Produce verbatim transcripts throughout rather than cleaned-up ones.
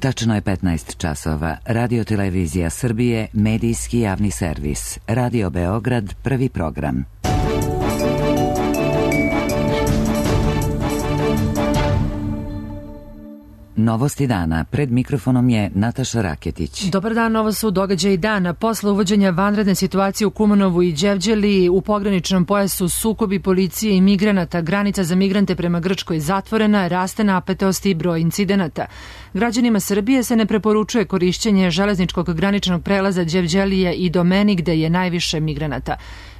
Tačno je petnaest časova. Radio Televizija Srbije, medijski javni servis. Radio Beograd, prvi program. Novosti dana. Pred mikrofonom je Nataša Raketić. Dobar dan, ovo su događaji dana. Posle uvođenja vanredne situacije u Kumanovu i Đevđeliji, u pograničnom pojasu sukobi policije i migranata, granica za migrante prema Grčkoj zatvorena, raste napetost i broj incidenata. Građanima Srbije se ne preporučuje korišćenje železničkog graničnog prelaza Đevđelije i Domeni, gde je najviše migranata.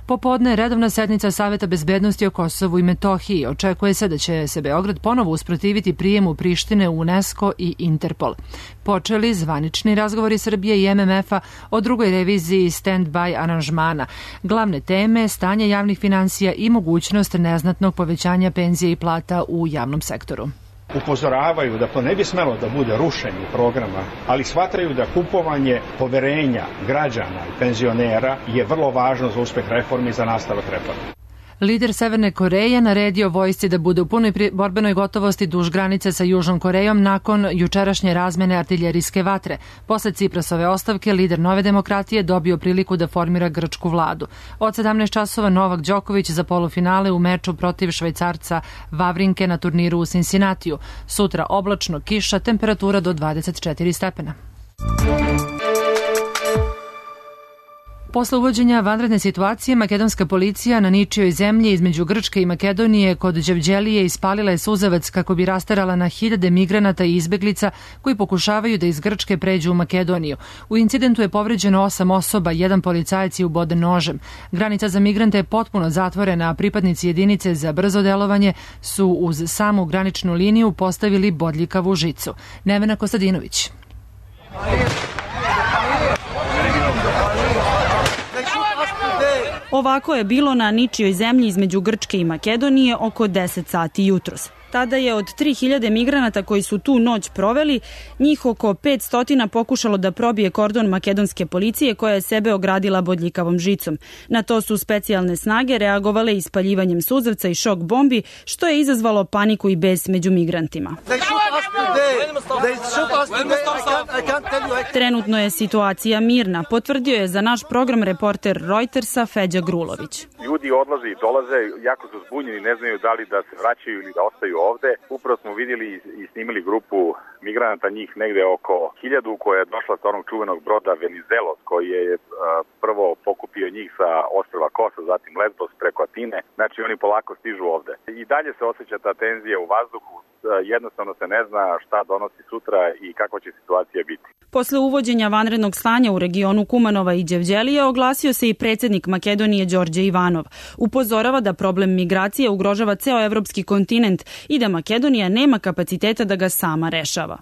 Popodne je redovna sednica Saveta bezbednosti o Kosovu i Metohiji. Očekuje se da će se Beograd ponovo usprotiviti prijemu Prištine u UNESCO i Interpol. Počeli zvanični razgovori Srbije i M M F-a o drugoj reviziji stand-by aranžmana. Glavne teme, stanje javnih finansija i mogućnost neznatnog povećanja penzije i plata u javnom sektoru. Upozoravaju da to ne bi smelo da bude rušenje programa, ali shvataju da kupovanje poverenja građana i penzionera je vrlo važno za uspeh reformi i za nastavak reformi. Lider Severne Koreje naredio vojsci da bude u punoj borbenoj gotovosti duž granice sa Južnom Korejom nakon jučerašnje razmene artiljerijske vatre. Posle Ciprasove ostavke, lider Nove demokratije dobio priliku da formira grčku vladu. Od sedamnaest časova Novak Đoković za polufinale u meču protiv Švajcarca Vavrinke na turniru u Cincinnatiju. Sutra oblačno, kiša, temperatura do dvadeset četiri stepena. Posle uvođenja vanredne situacije, makedonska policija na ničijoj zemlji između Grčke i Makedonije kod Đevđelije ispalila je suzavac kako bi rasterala na hiljade migranata i izbeglica koji pokušavaju da iz Grčke pređu u Makedoniju. U incidentu je povređeno osam osoba, jedan policajac je uboden nožem. Granica za migrante je potpuno zatvorena, a pripadnici jedinice za brzo delovanje su uz samu graničnu liniju postavili bodljikavu žicu. Nevena Kostadinović. Ovako je bilo na ničijoj zemlji između Grčke i Makedonije oko deset sati jutros. Tada je od tri hiljade migranata koji su tu noć proveli, njih oko petsto pokušalo da probije kordon makedonske policije koja je sebe ogradila bodljikavom žicom. Na to su specijalne snage reagovale ispaljivanjem suzavca i šok bombi, što je izazvalo paniku i bes među migrantima. Trenutno je situacija mirna, potvrdio je za naš program reporter Reutersa Feđa Grulović. Ljudi odlaze i dolaze, jako su zbunjeni, ne znaju da li da se vraćaju ili da ostaju ovde. Upravo smo vidjeli i snimili grupu migranata, njih negde oko hiljadu, koja je došla sa onog čuvenog broda Venizelos, koji je uh, prvo pokupio njih sa ostrva Kosa, zatim Lesbos preko Atine. Znači oni polako stižu ovde. I dalje se osjeća ta tenzija u vazduhu, uh, jednostavno se ne zna šta donosi sutra i kakva će situacija biti. Posle uvođenja vanrednog stanja u regionu Kumanova i Đevđelije oglasio se i predsjednik Makedonije Đorđe Ivanov. Upozorava da problem migracije ugrožava ceo evropski kontinent i da Makedonija nema kapaciteta da ga sama rešava.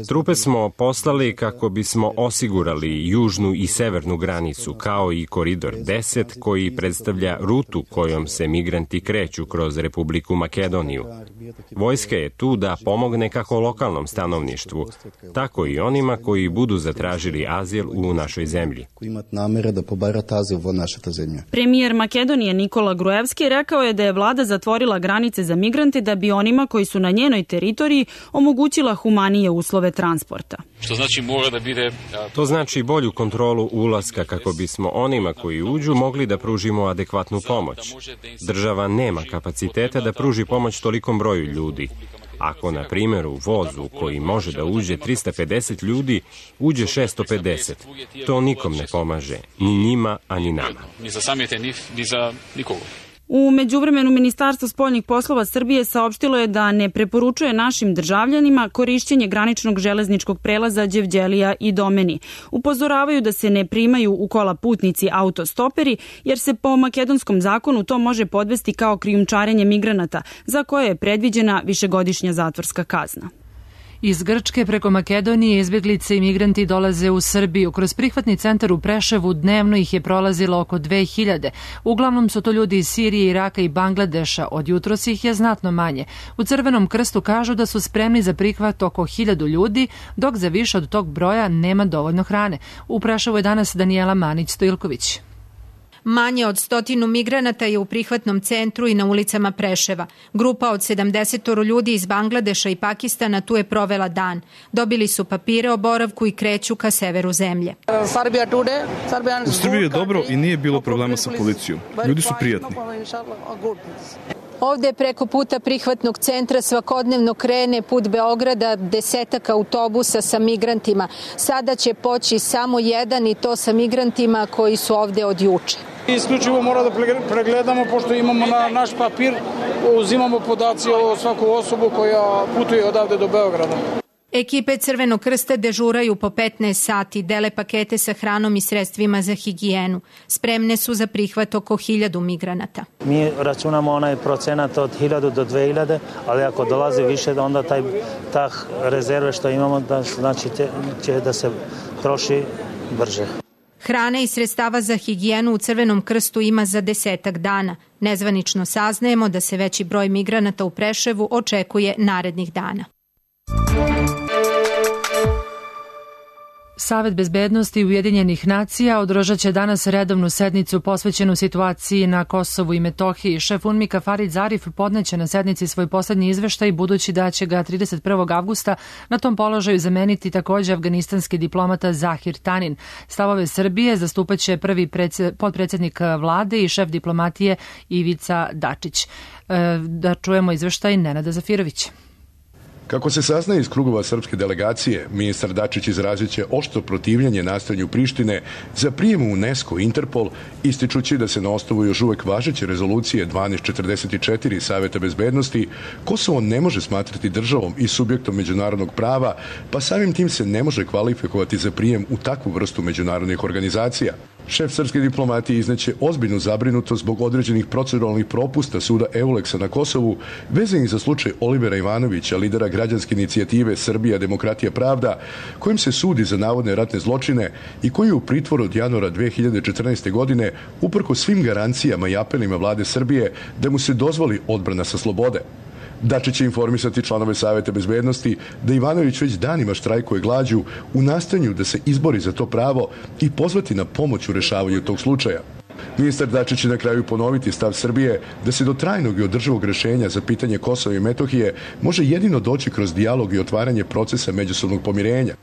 Trupe smo poslali kako bismo osigurali južnu i severnu granicu, kao i koridor deset koji predstavlja rutu kojom se migranti kreću kroz Republiku Makedoniju. Vojska je tu da pomogne kako lokalnom stanovništvu, tako i onima koji budu zatražili azil u našoj zemlji. Premijer Makedonije Nikola Gruevski rekao je da je vlada zatvorila granice za migrante da bi onima koji su na njenoj teritoriji omogućila humanije uslove transporta. Što znači mora da bide... To znači bolju kontrolu ulaska kako bismo onima koji uđu mogli da pružimo adekvatnu pomoć. Država nema kapaciteta da pruži pomoć tolikom broju ljudi. Ako, na primjer, u vozu koji može da uđe trista pedeset ljudi, uđe šesto pedeset, to nikom ne pomaže, ni njima, ani nama. Ni za samite, ni za nikoga. U međuvremenu Ministarstvo spoljnih poslova Srbije saopštilo je da ne preporučuje našim državljanima korišćenje graničnog železničkog prelaza Đevđelija i Domeni. Upozoravaju da se ne primaju u kola putnici autostoperi, jer se po makedonskom zakonu to može podvesti kao krijumčarenje migranata, za koje je predviđena višegodišnja zatvorska kazna. Iz Grčke preko Makedonije izbjeglice i migranti dolaze u Srbiju. Kroz prihvatni centar u Preševu dnevno ih je prolazilo oko dve hiljade. Uglavnom su to ljudi iz Sirije, Iraka i Bangladeša. Od jutros ih je znatno manje. U Crvenom krstu kažu da su spremni za prihvat oko hiljadu ljudi, dok za više od tog broja nema dovoljno hrane. U Preševu je danas Danijela Manić-Stojilković. Manje od stotinu migranata je u prihvatnom centru i na ulicama Preševa. Grupa od sedamdesetoro ljudi iz Bangladeša i Pakistana tu je provela dan. Dobili su papire o boravku i kreću ka severu zemlje. U Srbiji je dobro i nije bilo problema sa policijom. Ljudi su prijatni. Ovde preko puta prihvatnog centra svakodnevno krene put Beograda desetak autobusa sa migrantima. Sada će poći samo jedan i to sa migrantima koji su ovde od juče. Isključivo mora da pregledamo, pošto imamo na naš papir, uzimamo podaci o svaku osobu koja putuje odavde do Beograda. Ekipe Crvenog krsta dežuraju po petnaest sati, dele pakete sa hranom i sredstvima za higijenu. Spremne su za prihvat oko hiljadu migranata. Mi računamo onaj procenat od hiljadu do dve hiljade, ali ako dolazi više, onda taj, ta rezerve što imamo, da, znači će da se troši brže. Hrane i sredstava za higijenu u Crvenom krstu ima za desetak dana. Nezvanično saznajemo da se veći broj migranata u Preševu očekuje narednih dana. Savet bezbednosti Ujedinjenih nacija održat će danas redovnu sednicu posvećenu situaciji na Kosovu i Metohiji. Šef UNMIK-a Farid Zarif podneće na sednici svoj poslednji izveštaj, budući da će ga trideset prvog avgusta na tom položaju zameniti takođe afganistanski diplomata Zahir Tanin. Stavove Srbije zastupaće prvi potpredsednik vlade i šef diplomatije Ivica Dačić. Da čujemo izveštaj Nenada Zafirovića. Kako se saznaje iz krugova srpske delegacije, ministar Dačić izrazit će oštro protivljenje nastojanju Prištine za prijem u UNESCO i Interpol, ističući da se na osnovu još uvek važeće rezolucije dvanaest četrdeset četiri Saveta bezbednosti Kosovo ne može smatrati državom i subjektom međunarodnog prava, pa samim tim se ne može kvalifikovati za prijem u takvu vrstu međunarodnih organizacija. Šef srpske diplomatije izneće ozbiljnu zabrinutost zbog određenih proceduralnih propusta suda Euleksa na Kosovu, vezanih za slučaj Olivera Ivanovića, lidera građanske inicijative Srbija, demokratija, pravda, kojim se sudi za navodne ratne zločine i koji je u pritvoru od januara dve hiljade četrnaeste. godine uprko svim garancijama i apelima vlade Srbije da mu se dozvoli odbrana sa slobode. Dačić će informisati članove Saveta bezbednosti da Ivanović već danima štrajkuje glađu u nastojanju da se izbori za to pravo i pozvati na pomoć u rešavanju tog slučaja. Ministar Dačić će na kraju ponoviti stav Srbije da se do trajnog i održivog rešenja za pitanje Kosova i Metohije može jedino doći kroz dijalog i otvaranje procesa međusobnog pomirenja.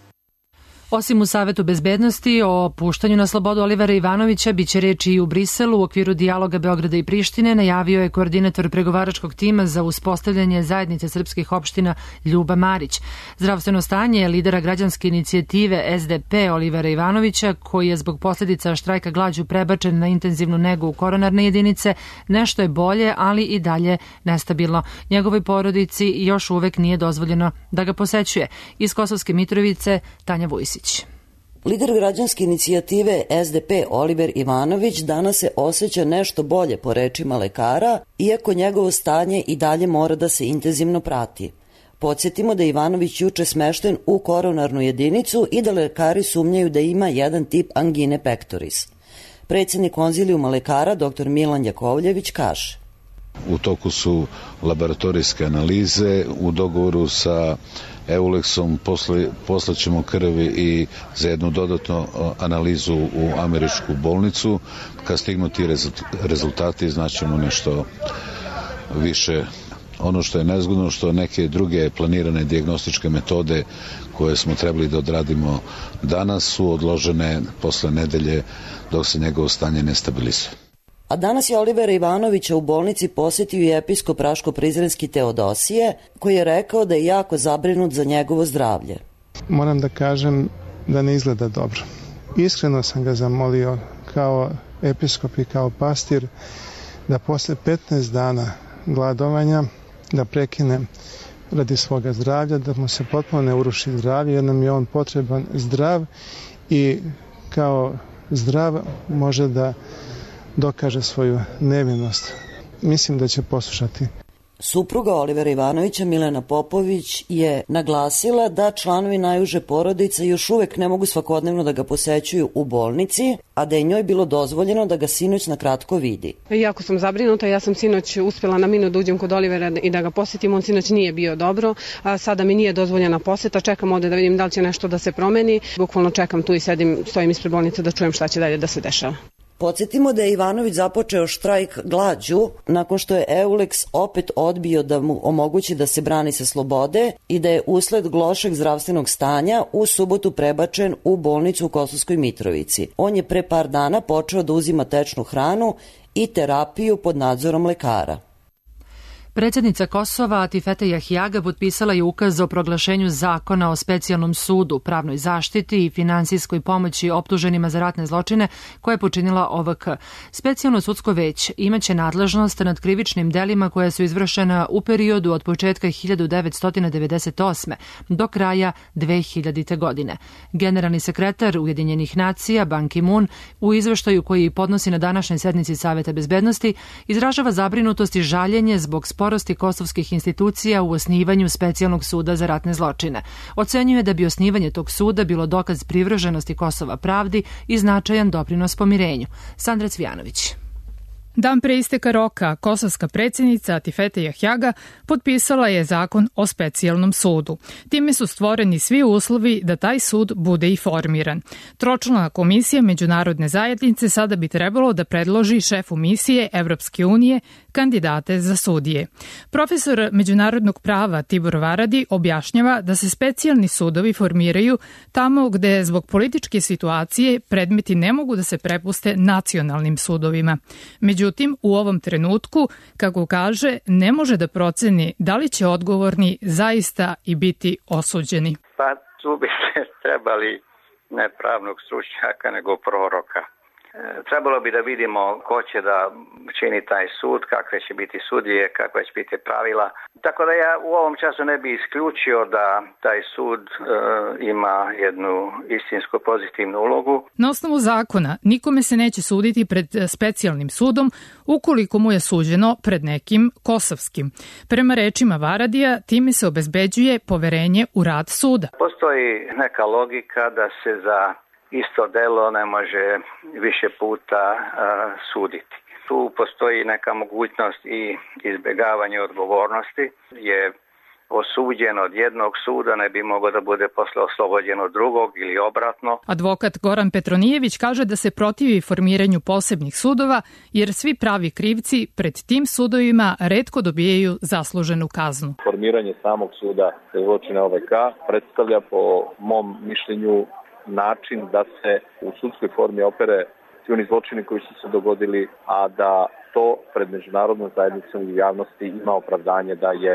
Osim u Savetu bezbednosti o puštanju na slobodu Olivera Ivanovića, biće reči i u Briselu u okviru dijaloga Beograda i Prištine, najavio je koordinator pregovaračkog tima za uspostavljanje zajednice srpskih opština Ljuba Marić. Zdravstveno stanje lidera građanske inicijative S D P Olivera Ivanovića, koji je zbog posljedica štrajka glađu prebačen na intenzivnu negu u koronarne jedinice, nešto je bolje, ali i dalje nestabilno. Njegovoj porodici još uvek nije dozvoljeno da ga posećuje. Iz Kosovske Mitrovice, Tanja Vujsić. Lider građanske inicijative S D P Oliver Ivanović danas se osjeća nešto bolje po rečima lekara, iako njegovo stanje i dalje mora da se intenzivno prati. Podsjetimo da je Ivanović juče smešten u koronarnu jedinicu i da lekari sumnjaju da ima jedan tip angine pectoris. Predsjednik konzilijuma lekara dr Milan Jakovljević kaže: U toku su laboratorijske analize, u dogovoru sa Euleksom posle, poslaćemo krvi i za jednu dodatnu analizu u američku bolnicu. Kad stignu ti rezultati, znaćemo nešto više. Ono što je nezgodno, što neke druge planirane dijagnostičke metode koje smo trebali da odradimo danas su odložene posle nedelje dok se njegovo stanje ne stabilizuje. A danas je Olivera Ivanovića u bolnici posjetio i episkop Raško-Prizrenski Teodosije, koji je rekao da je jako zabrinut za njegovo zdravlje. Moram da kažem da ne izgleda dobro. Iskreno sam ga zamolio kao episkop i kao pastir da posle petnaest dana gladovanja da prekine radi svoga zdravlja, da mu se potpuno ne uruši zdravlje, jer nam je on potreban zdrav i kao zdrav može da dokaže svoju nevinost. Mislim da će poslušati. Supruga Olivera Ivanovića, Milena Popović, je naglasila da članovi najuže porodice još uvek ne mogu svakodnevno da ga posećuju u bolnici, a da je njoj bilo dozvoljeno da ga sinoć na kratko vidi. Jako sam zabrinuta, ja sam sinoć uspjela na minut da uđem kod Olivera i da ga posjetim, on sinoć nije bio dobro, a sada mi nije dozvoljena posjeta, čekam ovde da vidim da li će nešto da se promeni, bukvalno čekam tu i sedim, stojim ispred bolnice da čujem šta će dalje da se dešava. Podsjetimo da je Ivanović započeo štrajk glađu nakon što je Euleks opet odbio da mu omogući da se brani sa slobode i da je usled lošeg zdravstvenog stanja u subotu prebačen u bolnicu u Kosovskoj Mitrovici. On je pre par dana počeo da uzima tečnu hranu i terapiju pod nadzorom lekara. Predsjednica Kosova Atifete Jahjaga potpisala je ukaz o proglašenju zakona o specijalnom sudu, pravnoj zaštiti i finansijskoj pomoći optuženima za ratne zločine koje je počinila O V K. Specijalno sudsko već imaće nadležnost nad krivičnim delima koja su izvršena u periodu od početka hiljadu devetsto devedeset osme do kraja dve hiljadite. godine. Generalni sekretar Ujedinjenih nacija Ban Ki-moon u izveštaju koji podnosi na današnjoj sednici Saveta bezbednosti izražava zabrinutost i žaljenje zbog sporosti kosovskih institucija u osnivanju specijalnog suda za ratne zločine. Ocenjuje da bi osnivanje tog suda bilo dokaz privrženosti Kosova pravdi i značajan doprinos pomirenju. Sandra Cvijanović. Dan pre isteka roka, kosovska predsjednica Atifete Jahjaga potpisala je zakon o specijalnom sudu. Time su stvoreni svi uslovi da taj sud bude i formiran. Tročlana komisija međunarodne zajednice sada bi trebalo da predloži šefu misije Evropske unije kandidate za sudije. Profesor međunarodnog prava Tibor Varadi objašnjava da se specijalni sudovi formiraju tamo gde zbog političke situacije predmeti ne mogu da se prepuste nacionalnim sudovima. Međutim, u ovom trenutku, kako kaže, ne može da proceni da li će odgovorni zaista i biti osuđeni. Pa tu bi se trebali ne pravnog stručnjaka, nego proroka. Trebalo bi da vidimo ko će da čini taj sud, kakve će biti sudije, kakve će biti pravila. Tako da ja u ovom času ne bi isključio da taj sud e, ima jednu istinsku pozitivnu ulogu. Na osnovu zakona nikome se neće suditi pred specijalnim sudom ukoliko mu je suđeno pred nekim kosovskim. Prema rečima Varadija, time se obezbeđuje poverenje u rad suda. Postoji neka logika da se za isto delo ne može više puta uh, suditi. Tu postoji neka mogućnost i izbjegavanje odgovornosti. Je osuđen od jednog suda, ne bi mogao da bude posle oslobođen od drugog ili obratno. Advokat Goran Petronijević kaže da se protivi formiranju posebnih sudova jer svi pravi krivci pred tim sudovima retko dobijaju zasluženu kaznu. Formiranje samog suda za zločine O V K predstavlja po mom mišljenju način da se u sudskoj formi opere svi oni zločini koji su se dogodili, a da to pred međunarodnom zajednicom i javnosti ima opravdanje da je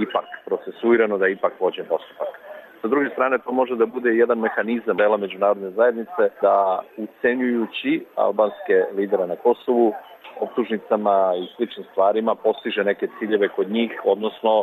ipak procesuirano, da je ipak vođen postupak. Sa druge strane, to može da bude jedan mehanizam dela međunarodne zajednice da ucenjujući albanske lidere na Kosovu optužnicama i sličnim stvarima postiže neke ciljeve kod njih, odnosno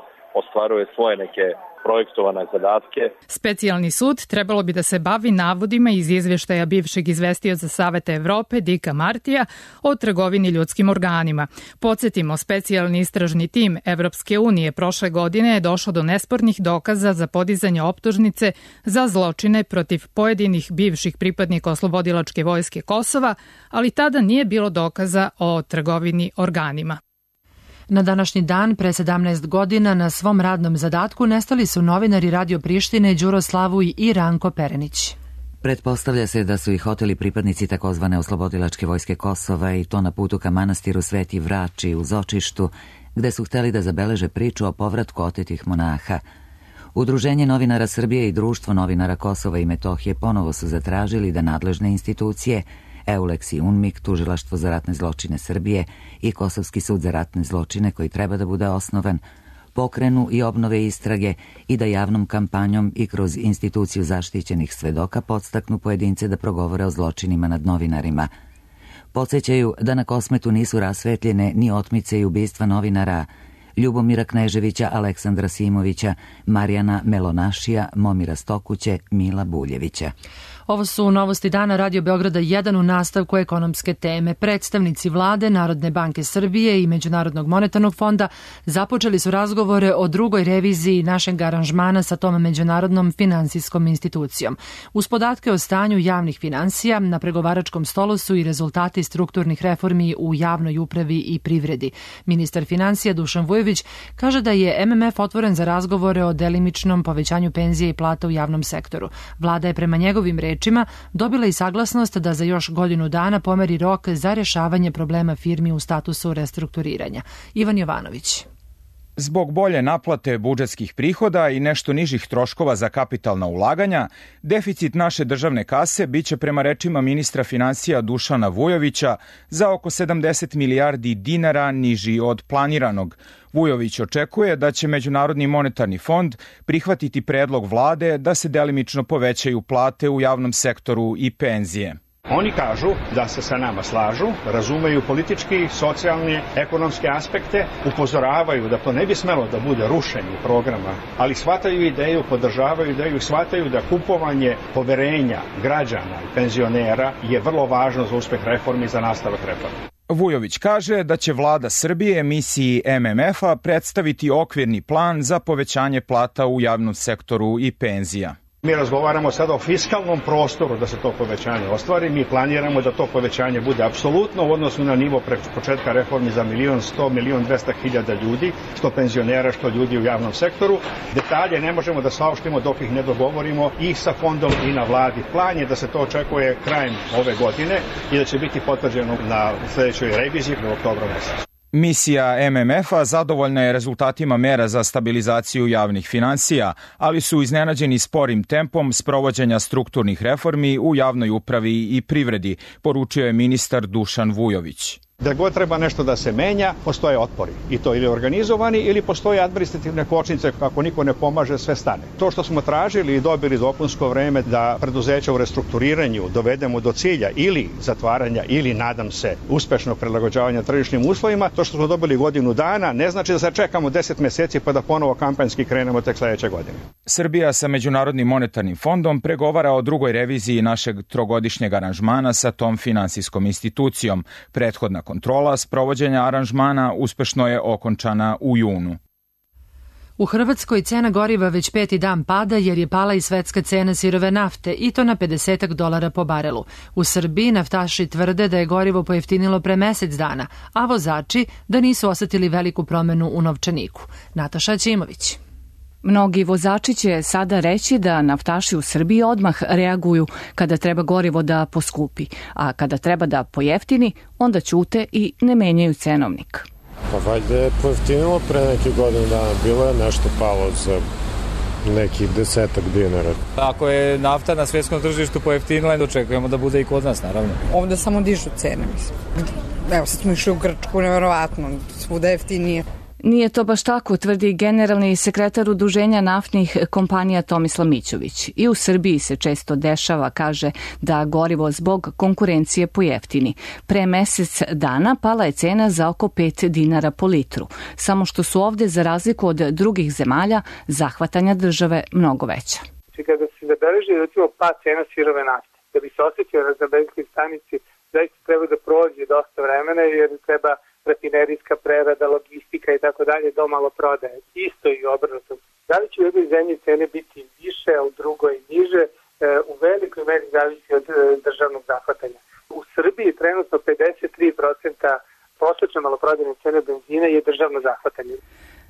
ostvaruje svoje neke projektovane zadatke. Specijalni sud trebalo bi da se bavi navodima iz izvještaja bivšeg izvestioca Saveta Evrope Dika Martija o trgovini ljudskim organima. Podsjetimo, specijalni istražni tim Evropske unije prošle godine je došao do nespornih dokaza za podizanje optužnice za zločine protiv pojedinih bivših pripadnika oslobodilačke vojske Kosova, ali tada nije bilo dokaza o trgovini organima. Na današnji dan, pre sedamnaest godina, na svom radnom zadatku nestali su novinari Radio Prištine Đuro Slavuj i Ranko Perenić. Pretpostavlja se da su ih oteli pripadnici takozvane oslobodilačke vojske Kosova i to na putu ka manastiru Sveti Vrači u Zočištu, gde su hteli da zabeleže priču o povratku otetih monaha. Udruženje novinara Srbije i Društvo novinara Kosova i Metohije ponovo su zatražili da nadležne institucije Euleks i UNMIK, Tužilaštvo za ratne zločine Srbije i Kosovski sud za ratne zločine koji treba da bude osnovan, pokrenu i obnove istrage i da javnom kampanjom i kroz instituciju zaštićenih svedoka podstaknu pojedince da progovore o zločinima nad novinarima. Podsjećaju da na Kosmetu nisu rasvetljene ni otmice i ubistva novinara Ljubomira Kneževića, Aleksandra Simovića, Marijana Melonašija, Momira Stokuće, Mila Buljevića. Ovo su novosti dana Radio Beograda jedan u nastavku ekonomske teme. Predstavnici vlade, Narodne banke Srbije i Međunarodnog monetarnog fonda započeli su razgovore o drugoj reviziji našeg aranžmana sa tom međunarodnom finansijskom institucijom. Uz podatke o stanju javnih finansija, na pregovaračkom stolu su i rezultati strukturnih reformi u javnoj upravi i privredi. Ministar finansija Dušan Vujović Vujović kaže da je M M F otvoren za razgovore o delimičnom povećanju penzije i plata u javnom sektoru. Vlada je prema njegovim rečima dobila i saglasnost da za još godinu dana pomeri rok za rješavanje problema firmi u statusu restrukturiranja. Ivan Jovanović. Zbog bolje naplate budžetskih prihoda i nešto nižih troškova za kapitalna ulaganja, deficit naše državne kase biće prema rečima ministra finansija Dušana Vujovića za oko sedamdeset milijardi dinara niži od planiranog. Vujović očekuje da će Međunarodni monetarni fond prihvatiti predlog vlade da se delimično povećaju plate u javnom sektoru i penzije. Oni kažu da se sa nama slažu, razumeju politički, socijalne, ekonomske aspekte, upozoravaju da to ne bi smelo da bude rušenje programa, ali shvataju ideju, podržavaju ideju, shvataju da kupovanje poverenja građana i penzionera je vrlo važno za uspeh reformi i za nastavak reformi. Vujović kaže da će vlada Srbije misiji M M F-a predstaviti okvirni plan za povećanje plata u javnom sektoru i penzija. Mi razgovaramo sada o fiskalnom prostoru da se to povećanje ostvari. Mi planiramo da to povećanje bude apsolutno u odnosu na nivo pre početka reformi za milion sto, milion dvesta hiljada ljudi, što penzionera, što ljudi u javnom sektoru. Detalje ne možemo da saopštimo dok ih ne dogovorimo i sa fondom i na vladi. Plan je da se to očekuje krajem ove godine i da će biti potvrđeno na sledećoj reviziji u oktobru mesecu. Misija M M F-a zadovoljna je rezultatima mera za stabilizaciju javnih finansija, ali su iznenađeni sporim tempom sprovođenja strukturnih reformi u javnoj upravi i privredi, poručio je ministar Dušan Vujović. Da god treba nešto da se menja, postoje otpori. I to ili organizovani ili postoje administrativne kočnice, kako niko ne pomaže, sve stane. To što smo tražili i dobili dopunsko vreme da preduzeća u restrukturiranju dovedemo do cilja ili zatvaranja ili, nadam se, uspešnog prilagođavanja tržišnim uslovima, to što smo dobili godinu dana ne znači da se čekamo deset meseci pa da ponovo kampanjski krenemo tek sledeće godine. Srbija sa Međunarodnim monetarnim fondom pregovara o drugoj reviziji našeg trogodišnjeg aranžmana sa tom finansijskom institucijom. Prethodna kontrola sprovođenja aranžmana uspešno je okončana u junu. U Hrvatskoj cena goriva već peti dan pada jer je pala i svetska cena sirove nafte i to na pedeset dolara po barelu. U Srbiji naftaši tvrde da je gorivo pojeftinilo pre mesec dana, a vozači da nisu osetili veliku promenu u novčaniku. Nataša Ćimović. Mnogi vozači će sada reći da naftaši u Srbiji odmah reaguju kada treba gorivo da poskupi, a kada treba da pojeftini, onda ćute i ne menjaju cenovnik. Pa valjda je pojeftinilo pre neke godine dana, bilo je nešto palo za nekih desetak dinara. Ako je nafta na svjetskom tržištu pojeftinila, očekujemo da bude i kod nas, naravno. Ovde samo dižu cene, mislim. Evo, sad smo išli u Grčku, nevjerovatno, svuda jeftinije. Nije to baš tako, tvrdi generalni sekretar Udruženja naftnih kompanija Tomislav Mićović. I u Srbiji se često dešava, kaže, da gorivo zbog konkurencije pojeftini. Pre mesec dana pala je cena za oko pet dinara po litru, samo što su ovde, za razliku od drugih zemalja, zahvatanja države mnogo veća. Kada se zabeleži, recimo, pad cena sirove nafte, da bi se osjećao na benzinskoj stanici, zaista treba da prođe dosta vremena, jer treba rafinerijska prerada, logistika i tako dalje do malo prodaje. Isto i obrnuto. Da li će u jednoj zemlji cene biti više, a u drugoj niže, u velikoj meri zavisi od državnog zahvatanja. U Srbiji trenutno pedeset tri posto prosečne maloprodajne cene benzina je državno zahvatanje.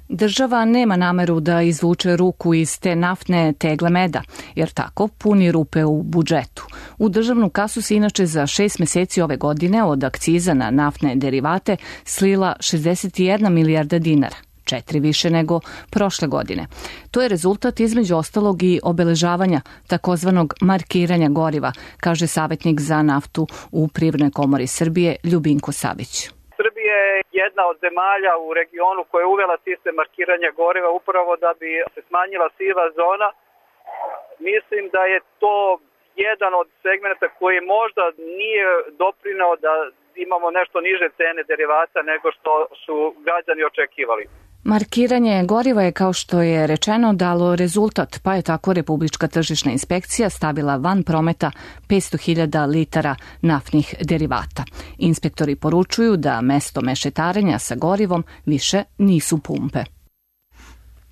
Država nema nameru da izvuče ruku iz te naftne tegle meda, jer tako puni rupe u budžetu. U državnu kasu se inače za šest meseci ove godine od akciza na naftne derivate slila šezdeset jedna milijarda dinara, četiri više nego prošle godine. To je rezultat između ostalog i obeležavanja takozvanog markiranja goriva, kaže savjetnik za naftu u Privrednoj komori Srbije Ljubinko Savić. Srbija je jedna od zemalja u regionu koja je uvela sistem markiranja goriva upravo da bi se smanjila siva zona. Mislim da je to jedan od segmenta koji možda nije doprineo da imamo nešto niže cene derivata nego što su građani očekivali. Markiranje goriva je, kao što je rečeno, dalo rezultat, pa je tako Republička tržišna inspekcija stavila van prometa petsto hiljada litara naftnih derivata. Inspektori poručuju da mesto mešetarenja sa gorivom više nisu pumpe.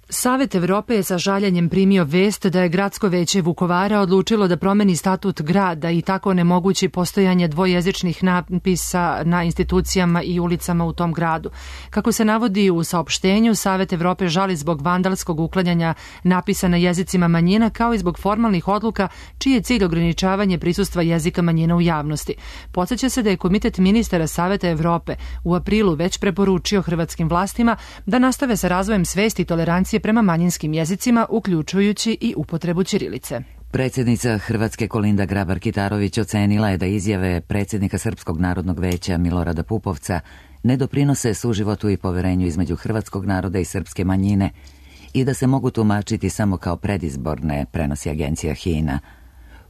Savet Evrope je sa žaljenjem primio vest da je gradsko veće Vukovara odlučilo da promeni statut grada i tako onemogući postojanje dvojezičnih napisa na institucijama i ulicama u tom gradu. Kako se navodi u saopštenju, Savet Evrope žali zbog vandalskog uklanjanja napisa na jezicima manjina kao i zbog formalnih odluka čiji je cilj ograničavanje prisustva jezika manjina u javnosti. Podseća se da je Komitet ministara Saveta Evrope u aprilu već preporučio hrvatskim vlastima da nastave sa razvojem svesti i tolerancije prema manjinskim jezicima, uključujući i upotrebu ćirilice. Predsjednica Hrvatske Kolinda Grabar-Kitarović ocenila je da izjave predsjednika Srpskog narodnog veća Milorada Pupovca ne doprinose suživotu i poverenju između hrvatskog naroda i srpske manjine i da se mogu tumačiti samo kao predizborne, prenosi agencija H I N A.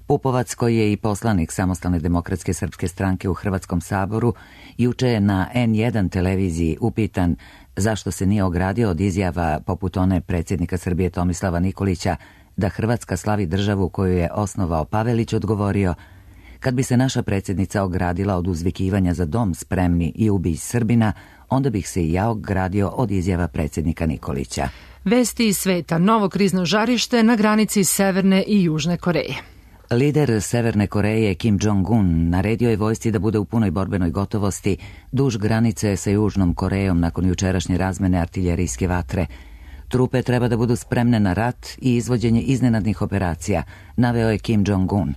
Pupovac, koji je i poslanik Samostalne demokratske srpske stranke u Hrvatskom saboru, juče je na N jedan televiziji upitan zašto se nije ogradio od izjava poput one predsjednika Srbije Tomislava Nikolića da Hrvatska slavi državu koju je osnovao Pavelić, odgovorio: kad bi se naša predsjednica ogradila od uzvikivanja za dom spremni i ubij Srbina, onda bih se i ja ogradio od izjava predsjednika Nikolića. Vesti iz sveta, novo krizno žarište na granici Severne i Južne Koreje. Lider Severne Koreje Kim Jong-un naredio je vojsci da bude u punoj borbenoj gotovosti duž granice sa Južnom Korejom nakon jučerašnje razmene artiljerijske vatre. Trupe treba da budu spremne na rat i izvođenje iznenadnih operacija, naveo je Kim Jong-un.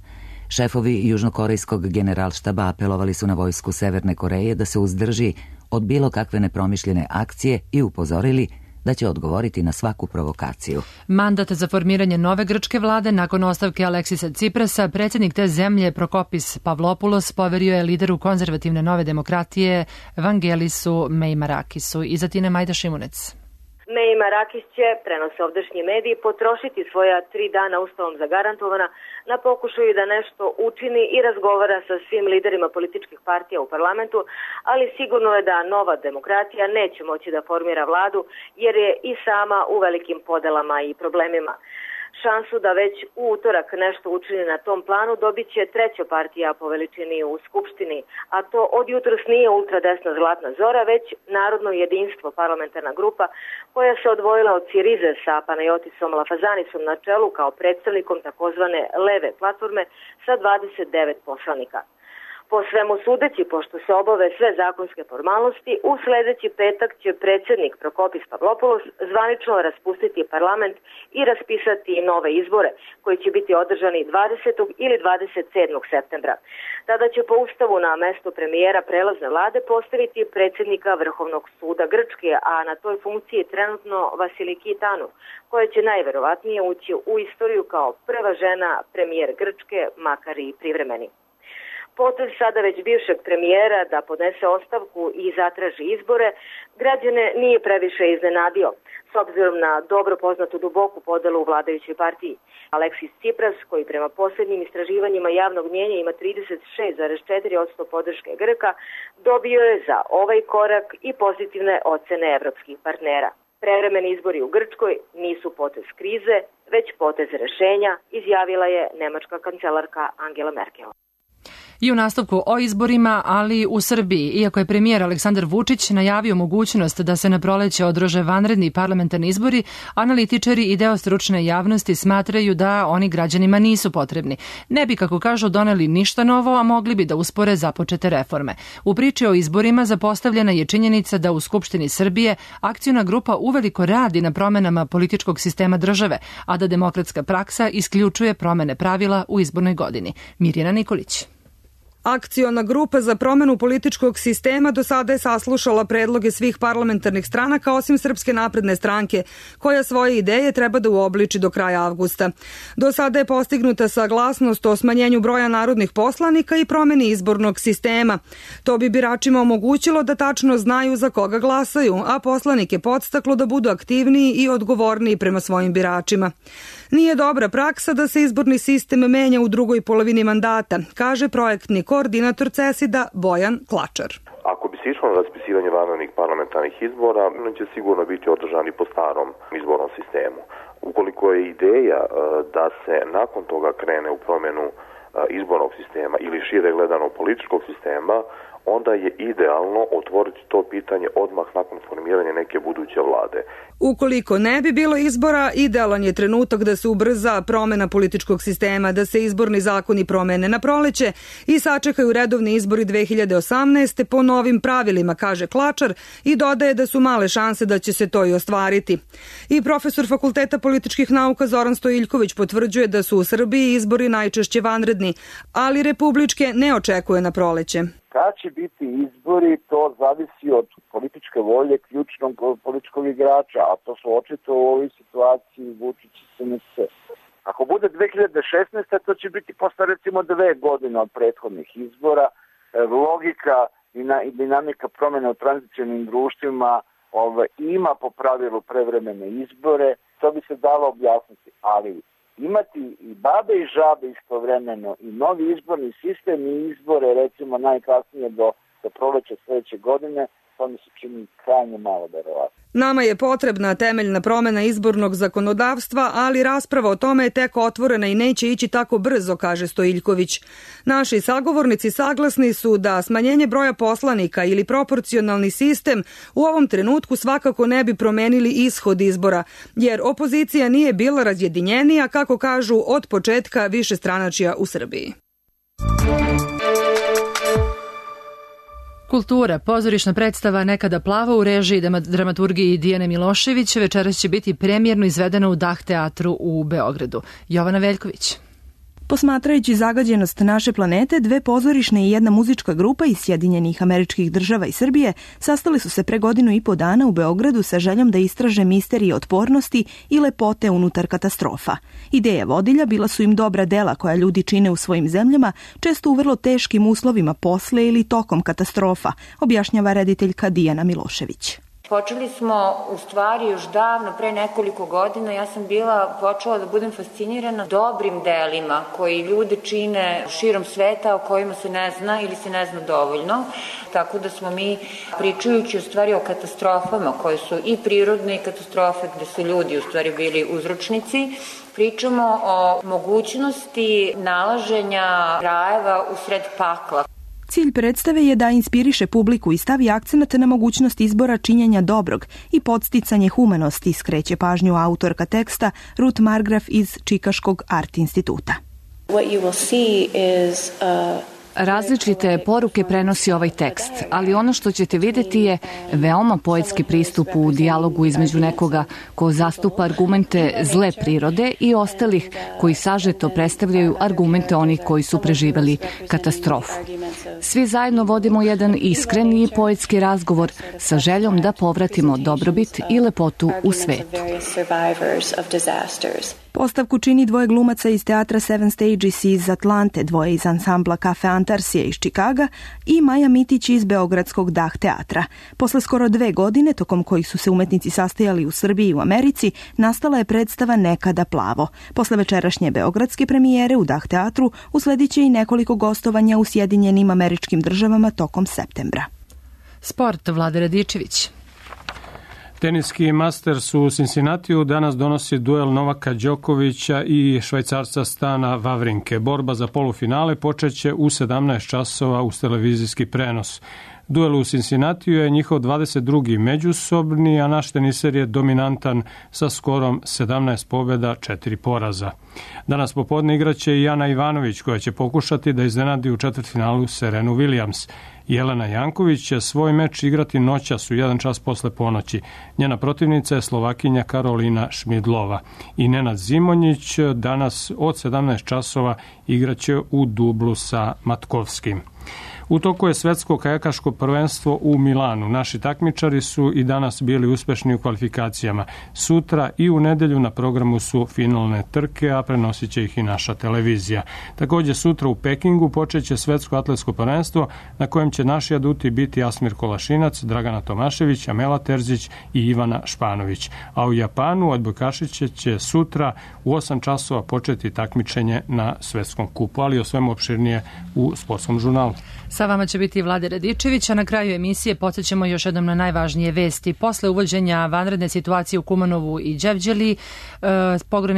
Šefovi južnokorejskog generalštaba apelovali su na vojsku Severne Koreje da se uzdrži od bilo kakve nepromišljene akcije i upozorili da će odgovoriti na svaku provokaciju. Mandat za formiranje nove grčke vlade nakon ostavke Aleksisa Ciprasa, predsjednik te zemlje Prokopis Pavlopoulos poverio je lideru konzervativne nove demokratije Vangelisu Meimarakisu. I za Tine Majda Šimunec. Meimarakis će, prenose ovdašnji mediji, potrošiti svoja tri dana ustavom zagarantovana na pokušaju da nešto učini i razgovara sa svim liderima političkih partija u parlamentu, ali sigurno je da nova demokratija neće moći da formira vladu jer je i sama u velikim podelama i problemima. Šansu da već u utorak nešto učini na tom planu dobit će treća partija po veličini u Skupštini, a to od jutros nije ultradesna Zlatna Zora, već Narodno jedinstvo, parlamentarna grupa koja se odvojila od Sirize sa Panajotisom Lafazanisom na čelu kao predstavnikom takozvane leve platforme sa dvadeset devet poslanika. Po svemu sudeći, pošto se obave sve zakonske formalnosti, u sledeći petak će predsjednik Prokopis Pavlopoulos zvanično raspustiti parlament i raspisati nove izbore, koji će biti održani dvadesetog ili dvadeset sedmog septembra. Tada će po ustavu na mesto premijera prelazne vlade postaviti predsjednika Vrhovnog suda Grčke, a na toj funkciji trenutno Vasiliki Tanu, koja će najverovatnije ući u istoriju kao prva žena premijer Grčke, makar i privremeni. Potez sada već bivšeg premijera da podnese ostavku i zatraži izbore, građane nije previše iznenadio, s obzirom na dobro poznatu duboku podelu u vladajućoj partiji. Aleksis Cipras, koji prema posljednjim istraživanjima javnog mnjenja ima trideset šest zarez četiri posto podrške Grka, dobio je za ovaj korak i pozitivne ocene evropskih partnera. Prevremeni izbori u Grčkoj nisu potez krize, već potez rešenja, izjavila je nemačka kancelarka Angela Merkel. I u nastavku o izborima, ali u Srbiji, iako je premijer Aleksandar Vučić najavio mogućnost da se na proleće održe vanredni parlamentarni izbori, analitičari i deo stručne javnosti smatraju da oni građanima nisu potrebni. Ne bi, kako kažu, doneli ništa novo, a mogli bi da uspore započete reforme. U priči o izborima zapostavljena je činjenica da u Skupštini Srbije akciona grupa uveliko radi na promenama političkog sistema države, a da demokratska praksa isključuje promene pravila u izbornoj godini. Mirjana Nikolić. Akciona grupa za promenu političkog sistema do sada je saslušala predloge svih parlamentarnih stranaka osim Srpske napredne stranke, koja svoje ideje treba da uobliči do kraja avgusta. Do sada je postignuta saglasnost o smanjenju broja narodnih poslanika i promeni izbornog sistema. To bi biračima omogućilo da tačno znaju za koga glasaju, a poslanike podstaklo da budu aktivniji i odgovorniji prema svojim biračima. Nije dobra praksa da se izborni sistem menja u drugoj polovini mandata, kaže projektni koordinator CESID-a Bojan Klačar. Ako bi se išlo na raspisivanje vanrednih parlamentarnih izbora, oni će sigurno biti održani po starom izbornom sistemu. Ukoliko je ideja da se nakon toga krene u promjenu izbornog sistema ili šire gledano političkog sistema, onda je idealno otvoriti to pitanje odmah nakon formiranja neke buduće vlade. Ukoliko ne bi bilo izbora, idealan je trenutak da se ubrza promena političkog sistema, da se izborni zakoni promene na proleće i sačekaju redovni izbori dve hiljade osamnaeste. po novim pravilima, kaže Klačar, i dodaje da su male šanse da će se to i ostvariti. I profesor Fakulteta političkih nauka Zoran Stojiljković potvrđuje da su u Srbiji izbori najčešće vanredni, ali republičke ne očekuje na proleće. Kad će biti izbori, to zavisi od političke volje ključnog političkog igrača, a to su očito u ovoj situaciji Vučić i S N S. Ako bude dve hiljade šesnaeste. to će biti posle recimo dve godine od prethodnih izbora. Logika i dinamika promjene u tranzicionim društvima ovaj, ima po pravilu prevremene izbore, to bi se dalo objasniti, ali imati i babe i žabe istovremeno i novi izborni sistem i izbore recimo najkasnije do, do proleća sledeće godine, to mi se čini krajnje malo verovatno. Nama je potrebna temeljna promena izbornog zakonodavstva, ali rasprava o tome je tek otvorena i neće ići tako brzo, kaže Stojiljković. Naši sagovornici saglasni su da smanjenje broja poslanika ili proporcionalni sistem u ovom trenutku svakako ne bi promenili ishod izbora, jer opozicija nije bila razjedinjenija, kako kažu, od početka višestranačja u Srbiji. Kultura, pozorišna predstava Nekada plava u režiji dramaturgiji Dijane Milošević večeras će biti premijerno izvedena u Dah teatru u Beogradu. Jovana Veljković. Posmatrajući zagađenost naše planete, dve pozorišne i jedna muzička grupa iz Sjedinjenih Američkih Država i Srbije sastali su se pre godinu i po dana u Beogradu sa željom da istraže misterije otpornosti i lepote unutar katastrofa. Ideja vodilja bila su im dobra dela koja ljudi čine u svojim zemljama, često u vrlo teškim uslovima posle ili tokom katastrofa, objašnjava rediteljka Dijana Milošević. Počeli smo u stvari još davno, pre nekoliko godina, ja sam bila počela da budem fascinirana dobrim delima koji ljudi čine širom sveta, o kojima se ne zna ili se ne zna dovoljno. Tako da smo mi, pričajući u stvari o katastrofama koje su i prirodne i katastrofe gde su ljudi u stvari bili uzročnici, pričamo o mogućnosti nalaženja rajeva usred pakla. Cilj predstave je da inspiriše publiku i stavi akcenat na mogućnost izbora činjenja dobrog i podsticanje humanosti, skreće pažnju autorka teksta Ruth Margraf iz Čikaškog Art instituta. What you will see is a Različite poruke prenosi ovaj tekst, ali ono što ćete vidjeti je veoma poetski pristup u dijalogu između nekoga ko zastupa argumente zle prirode i ostalih koji sažeto predstavljaju argumente onih koji su preživeli katastrofu. Svi zajedno vodimo jedan iskren i poetski razgovor sa željom da povratimo dobrobit i lepotu u svetu. Postavku čini dvoje glumaca iz teatra Seven Stages iz Atlante, dvoje iz ansambla Kafe Antarsije iz Čikaga i Maja Mitić iz beogradskog Dah teatra. Posle skoro dve godine, tokom kojih su se umetnici sastajali u Srbiji i u Americi, nastala je predstava Nekada plavo. Posle večerašnje beogradske premijere u Dah teatru usledit će i nekoliko gostovanja u Sjedinjenim Američkim Državama tokom septembra. Sport, Vlada Radičević. Teniski Masters u Cincinnatiju danas donosi duel Novaka Đokovića i Švajcarca Stana Wawrinke. Borba za polufinale počeće u sedamnaest časova uz televizijski prenos. Duel u Cincinnatiju je njihov dvadeset drugi međusobni, a naš teniser je dominantan sa skorom sedamnaest pobjeda, četiri poraza. Danas popodne igraće i Jana Ivanović, koja će pokušati da iznenadi u četvrtfinalu Serenu Williams. Jelena Janković će svoj meč igrati noćas u jedan čas posle ponoći. Njena protivnica je Slovakinja Karolina Šmidlova. I Nenad Zimonjić danas od sedamnaest časova igraće u dublu sa Matkovskim. U toku je svetsko kajakaško prvenstvo u Milanu. Naši takmičari su i danas bili uspešni u kvalifikacijama. Sutra i u nedelju na programu su finalne trke, a prenosit će ih i naša televizija. Također sutra u Pekingu počeće svetsko atletsko prvenstvo na kojem će naši aduti biti Asmir Kolašinac, Dragana Tomašević, Amela Terzić i Ivana Španović. A u Japanu odbojkašiće će sutra u osam časova početi takmičenje na svetskom kupu, ali o svemu opširnije u sportskom žurnalu. Sa vama će biti Vlade Radičević, a na kraju emisije podsjećamo još jednom na najvažnije vesti. Posle uvođenja vanredne situacije u Kumanovu i Đevđeli,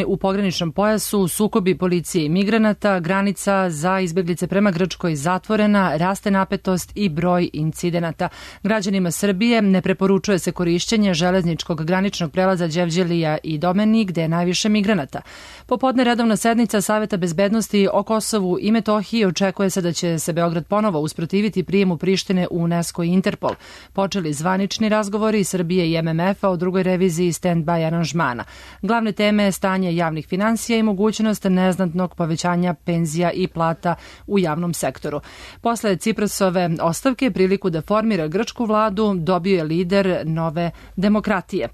u pograničnom pojasu, sukobi policije i migranata, granica za izbjeglice prema Grčkoj zatvorena, raste napetost i broj incidenata. Građanima Srbije ne preporučuje se korišćenje železničkog graničnog prelaza Đevđelija i Domeni, gde je najviše migranata. Popodne redovna sednica Saveta bezbednosti o Kosovu i Metohiji, očekuje se da će se Beograd ponovo usprotiviti prijemu Prištine u UNESCO i Interpol. Počeli zvanični razgovori Srbije i M M F-a o drugoj reviziji stand-by aranžmana. Glavne teme je stanje javnih finansija i mogućnost neznatnog povećanja penzija i plata u javnom sektoru. Posle Ciprasove ostavke, priliku da formira grčku vladu dobio je lider Nove demokratije.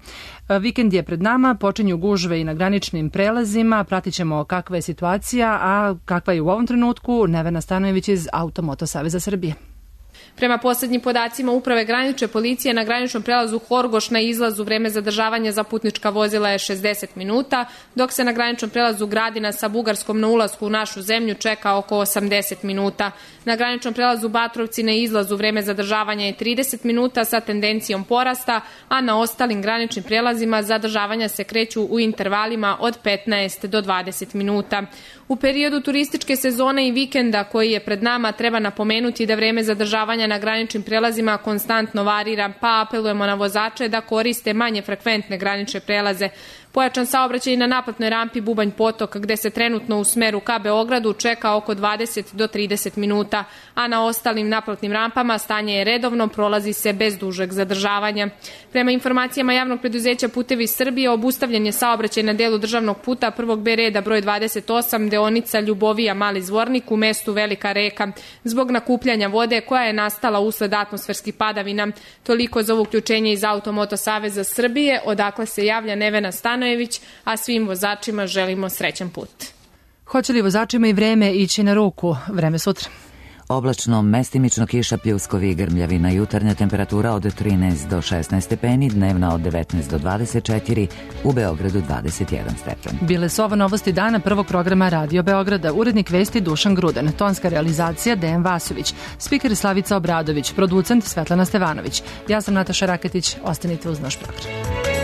Vikend je pred nama, počinju gužve i na graničnim prelazima, pratit ćemo kakva je situacija, a kakva je u ovom trenutku. Nevena Stanojević iz Automoto Saveza Srbije. Prema poslednjim podacima Uprave granične policije na graničnom prelazu Horgoš na izlazu vreme zadržavanja za putnička vozila je šezdeset minuta, dok se na graničnom prelazu Gradina sa Bugarskom na ulasku u našu zemlju čeka oko osamdeset minuta. Na graničnom prelazu Batrovci na izlazu vreme zadržavanja je trideset minuta sa tendencijom porasta, a na ostalim graničnim prelazima zadržavanja se kreću u intervalima od petnaest do dvadeset minuta. U periodu turističke sezone i vikenda koji je pred nama treba napomenuti da vreme zadržavanja na graničnim prelazima konstantno varira, pa apelujemo na vozače da koriste manje frekventne granične prelaze. Pojačan saobraćaj na naplatnoj rampi Bubanj Potok, gde se trenutno u smeru ka Beogradu čeka oko dvadeset do trideset minuta, a na ostalim naplatnim rampama stanje je redovno, prolazi se bez dužeg zadržavanja. Prema informacijama javnog preduzeća Putevi Srbije, obustavljen je saobraćaj na delu državnog puta prvog B reda broj dvadeset osam, deonica Ljubovija Mali Zvornik u mestu Velika Reka, zbog nakupljanja vode koja je nastala usled atmosferskih padavina. Toliko za uključenje iz Automoto Saveza Srbije, odakle se javlja Nevena Stanojević, a svim vozačima želimo srećan put. Hoće li vozačima i vreme ići na ruku? Vreme sutra. Oblačno, mestimično kiša, pljuskovi i grmljavina. Jutarnja temperatura od trinaest do šesnaest stepeni, dnevna od devetnaest do dvadeset četiri, u Beogradu dvadeset jedan stepen. Bile su ovo novosti dana prvog programa Radio Beograda. Urednik vesti Dušan Gruden, tonska realizacija Dejan Vasović, spiker Slavica Obradović, producent Svetlana Stevanović. Ja sam Nataša Raketić, ostanite uz naš program.